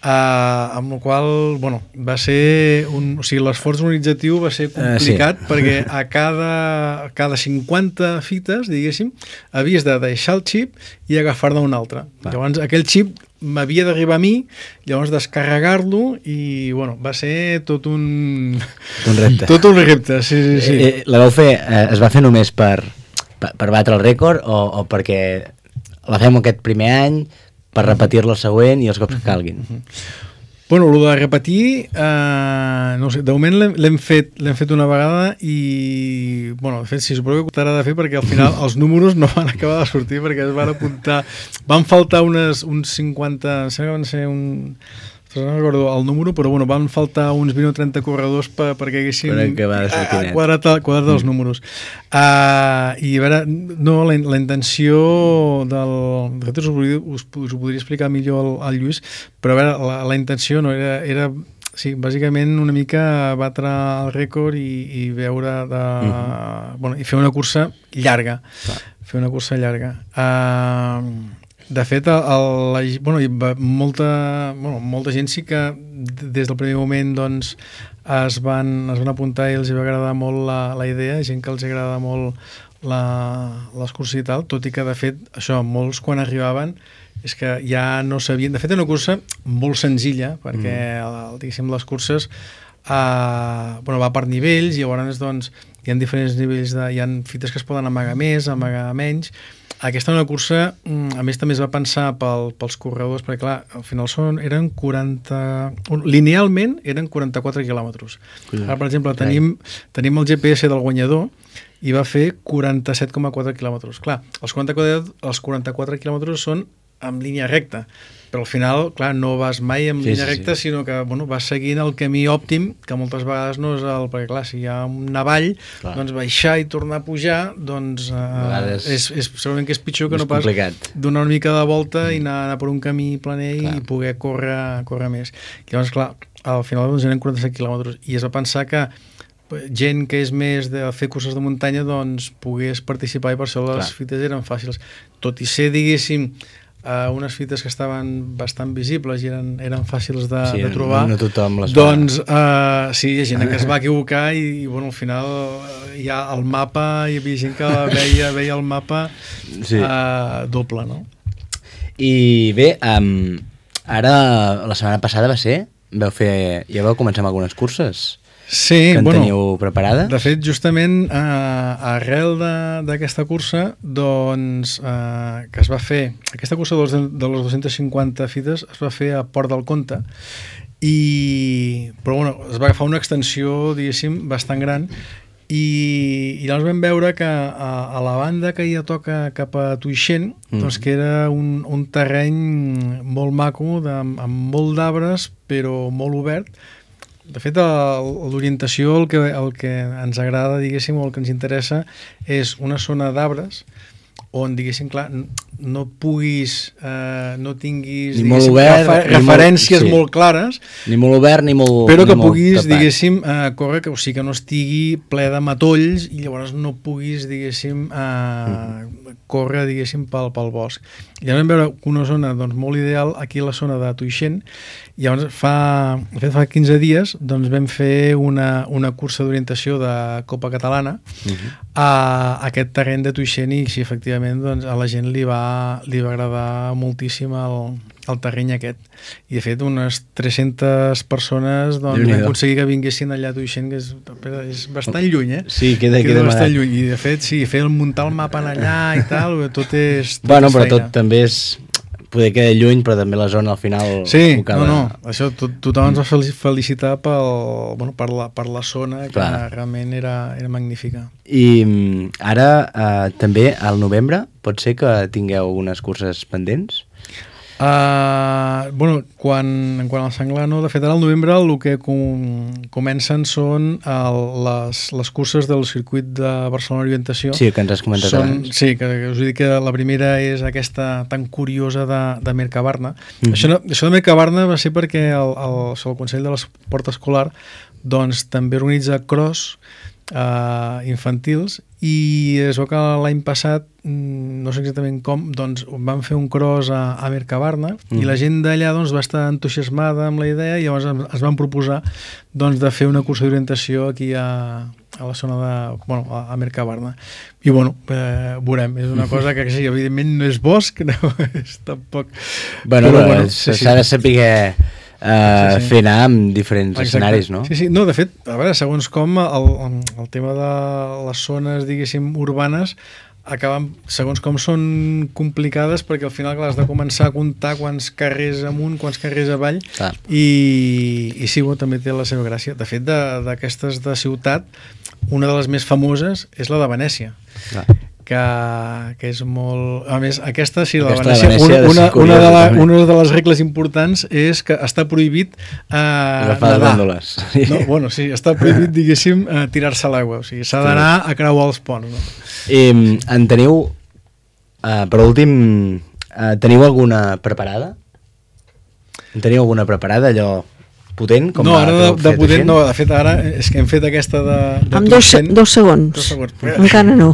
amb la qual bueno, va ser o sigui, l'esforç organitzatiu va ser complicat perquè a cada 50 fites, diguéssim, havies de deixar el xip i agafar-ne un altre. Llavors aquell xip m'havia d'arribar a mi, llavors descarregar-lo i bueno, va ser tot un repte. Tot un repte, sí. La vau fer, es va fer només per batre el rècord o perquè la fem aquest primer any per repetir-la el següent i els cops que calguin? Bueno, el de repetir, no sé, de moment l'hem fet una vegada i, bueno, de fet, sí, suposo que t'haurà de fer perquè al final els números no van acabar de sortir perquè es van apuntar, van faltar uns 50, sembla que van ser no recordo el número, però bueno, van faltar uns 20 o 30 corredors perquè haguessin quadrat els números. I a veure, no, la intenció de fet us ho podria explicar millor al Lluís, però a veure, la intenció no era sí, bàsicament una mica batre el rècord i veure bueno, i fer una cursa llarga. Fer una cursa llarga. De fet, bueno, molta gent sí que des del primer moment doncs, es van apuntar i els va agradar molt la idea, gent que els agrada molt l'excursió i tal, tot i que de fet això, molts quan arribaven és que ja no sabien, de fet era una cursa molt senzilla perquè diguéssim les curses bueno, va per nivells i llavors doncs, hi ha diferents nivells, hi ha fites que es poden amagar més, amagar menys. Aquesta una cursa, a més també es va pensar pels corredors, perquè clar, al final eren 40... Linealment eren 44 quilòmetres. Ara, per exemple, tenim el GPS del guanyador i va fer 47,4 quilòmetres. Clar, els 44 quilòmetres són en línia recta, però al final, clar, no vas mai en línia recta, sinó que bueno, vas seguint el camí òptim, que moltes vegades no és el... Perquè clar, si hi ha una vall, doncs baixar i tornar a pujar, doncs segurament que és pitjor que no pas donar una mica de volta i anar per un camí planer i poder córrer més. Llavors, clar, al final doncs, eren 47 quilòmetres i es va pensar que gent que és més de fer curses de muntanya doncs pogués participar i per això les fites eren fàcils. Tot i ser, diguéssim, unes fites que estaven bastant visibles i eren fàcils de trobar, no tothom les doncs sí, hi ha gent que es va equivocar i bueno, al final hi ha el mapa, hi havia gent que veia el mapa doble, no? I bé, ara la setmana passada ja vau començar amb algunes curses que teniu preparades? De fet, justament arrel d'aquesta cursa doncs, que es va fer, aquesta cursa de les 250 fites es va fer a Port del Comte però bueno, es va agafar una extensió, diguéssim, bastant gran i llavors vam veure que a la banda que ja toca cap a Tuixén, doncs que era un terreny molt maco, amb molt d'arbres però molt obert. De fet, l'orientació, el que ens agrada, diguéssim, o el que ens interessa és una zona d'arbres on, diguéssim, clar, no puguis, no tinguis referències molt clares, ni molt obert ni molt però que puguis, diguéssim, córrer, o sigui que no estigui ple de matolls i llavors no puguis, diguéssim, córrer, diguéssim, pel bosc. I llavors vam veure una zona doncs, molt ideal aquí a la zona de Tuixén. I llavors fa 15 dies doncs, vam fer una cursa d'orientació de Copa Catalana a aquest terreny de Tuixén i sí, efectivament, doncs, a la gent li va agradar moltíssim el terreny aquest. I de fet unes 300 persones doncs, vam aconseguir que vinguessin allà a Tuixén, que és bastant lluny, Sí, queda bastant lluny. I de fet, sí, muntar el mapa allà i tal, tot és bueno, però tot també és... Poder quedar lluny, però també la zona al final... Sí, això tothom ens va felicitar per la zona, que realment era magnífica. I ara, també, al novembre, pot ser que tingueu unes curses pendents? Bueno, quan el senglar no, de fet ara al novembre el que comencen són les curses del circuit de Barcelona Orientació. Sí, que ens has comentat abans. Sí, que us he dit que la primera és aquesta tan curiosa de Mercabarna. Això de Mercabarna va ser perquè el Consell de l'Esport Escolar doncs també organitza cross infantils, i es veu que l'any passat, no sé exactament com, doncs van fer un cross a Mercabarna, i la gent d'allà doncs, va estar entusiasmada amb la idea, i llavors es van proposar doncs, de fer una cursa d'orientació aquí a la zona de, bueno, a Mercabarna. I bueno, veurem, és una cosa que sí, evidentment no és bosc, no és tampoc... Bueno, s'ha de saber fer anar amb diferents escenaris, no? Sí, no, de fet, a veure, segons com el tema de les zones, diguéssim, urbanes, acaben, segons com són complicades, perquè al final clar, has de començar a comptar quants carrers amunt, quants carrers avall, i sí, també té la seva gràcia. De fet, d'aquestes de ciutat, una de les més famoses és la de Venècia, que és molt... A més, aquesta, sí, la de Venècia, una de les regles importants és que està prohibit nedar. No, bueno, sí, està prohibit, diguéssim, tirar-se a l'aigua, o sigui, s'ha d'anar a creuar els ponts. No? En teniu, per últim, teniu alguna preparada? En teniu alguna preparada, allò potent? Com no, ara de potent no, de fet ara és que hem fet aquesta de amb dos segons. Encara no.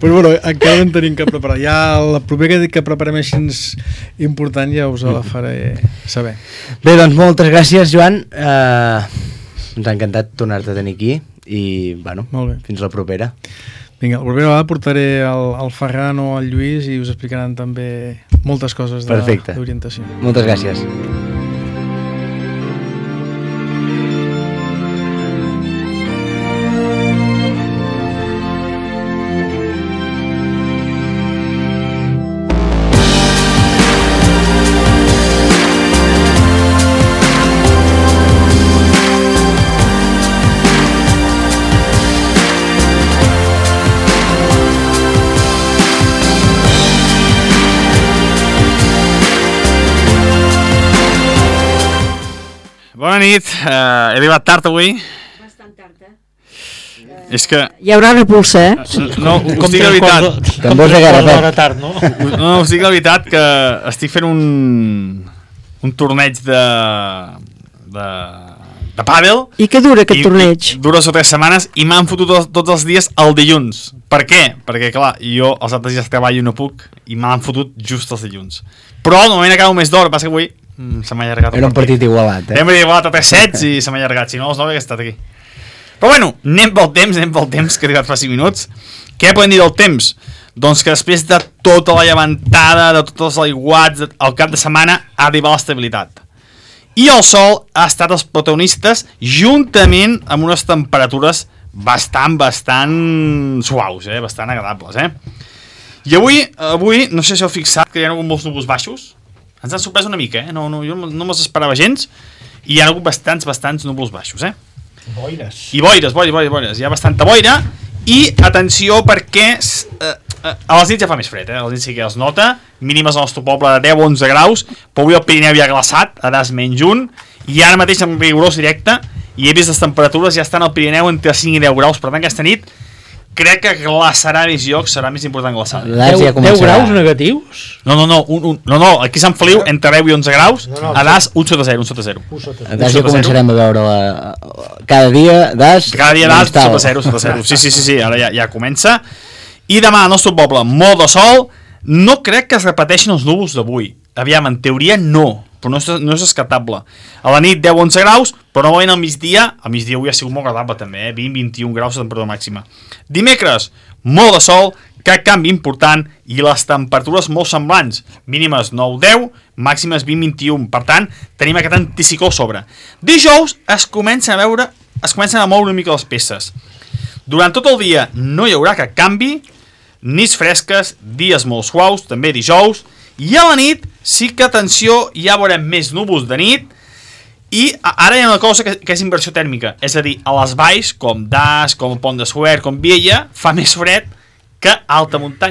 Però bueno, encara no en tenim cap preparat. Ja la propera que preparem així important ja us la faré saber. Bé, doncs moltes gràcies, Joan. Ens ha encantat tornar-te a tenir aquí i, bueno, fins la propera. Vinga, la propera vegada portaré el Ferran o el Lluís i us explicaran també moltes coses d'orientació. Moltes gràcies. Bona nit, he arribat tard avui. Bastant tard, És que... Hi haurà repulsa, No, us dic la veritat. No, us dic la veritat que estic fent un torneig de pàdel. I què dura aquest torneig? Dura 3 setmanes i m'han fotut tots els dies el dilluns. Per què? Perquè, clar, jo els altres dies treballo i no puc i m'han fotut just els dilluns. Però normalment acabo més d'hora, passa que avui se m'ha allargat. Era un partit igualat, Era un partit igualat a 3 sets i se m'ha allargat. Si no, els 9 hagués estat aquí. Però bueno, anem pel temps, que he arribat fa 5 minuts. Què podem dir del temps? Doncs que després de tota la llevantada, de tots els aiguats, al cap de setmana ha arribat l'estabilitat. I el sol ha estat els protagonistes juntament amb unes temperatures bastant suaus, bastant agradables. I avui, no sé si heu fixat que hi ha hagut molts núvols baixos. Ens han sorprès una mica, jo no me'ls esperava gens, i hi ha hagut bastants núvols baixos, Boires. I boires, hi ha bastanta boira, i atenció perquè a les nits ja fa més fred, a les nits sí que es nota, mínimes al nostre poble de 10-11 graus, però avui el Pirineu ja ha glaçat, a das -1, i ara mateix en rigorós directe, i he vist les temperatures ja estan al Pirineu entre 5 i 10 graus, per tant aquesta nit crec que glaçarà més llocs, serà més important glaçar. 10 graus negatius? No, aquí a Sant Feliu, entre 10 i 11 graus, a Das, 1 sota 0. A Das ja començarem a veure cada dia Das, sota 0. Sí, ara ja comença. I demà al nostre poble, molt de sol, no crec que es repeteixin els núvols d'avui. Aviam, en teoria no, però no és descartable. A la nit 10-11 graus, però normalment al migdia avui ha sigut molt agradable també, 20-21 graus de temperatura màxima. Dimecres, molt de sol, cap canvi important i les temperatures molt semblants, mínimes 9-10, màximes 20-21, per tant, tenim aquest anticicló a sobre. Dijous es comencen a moure una mica les peces. Durant tot el dia no hi haurà cap canvi, nits fresques, dies molt suaus, també dijous, i a la nit sí que, atenció, ja veurem més núvols de nit, i ara hi ha una cosa que és inversió tèrmica, és a dir, a les valls, com Das, com el Pont de Suert, com Viella, fa més fred que alta muntanya.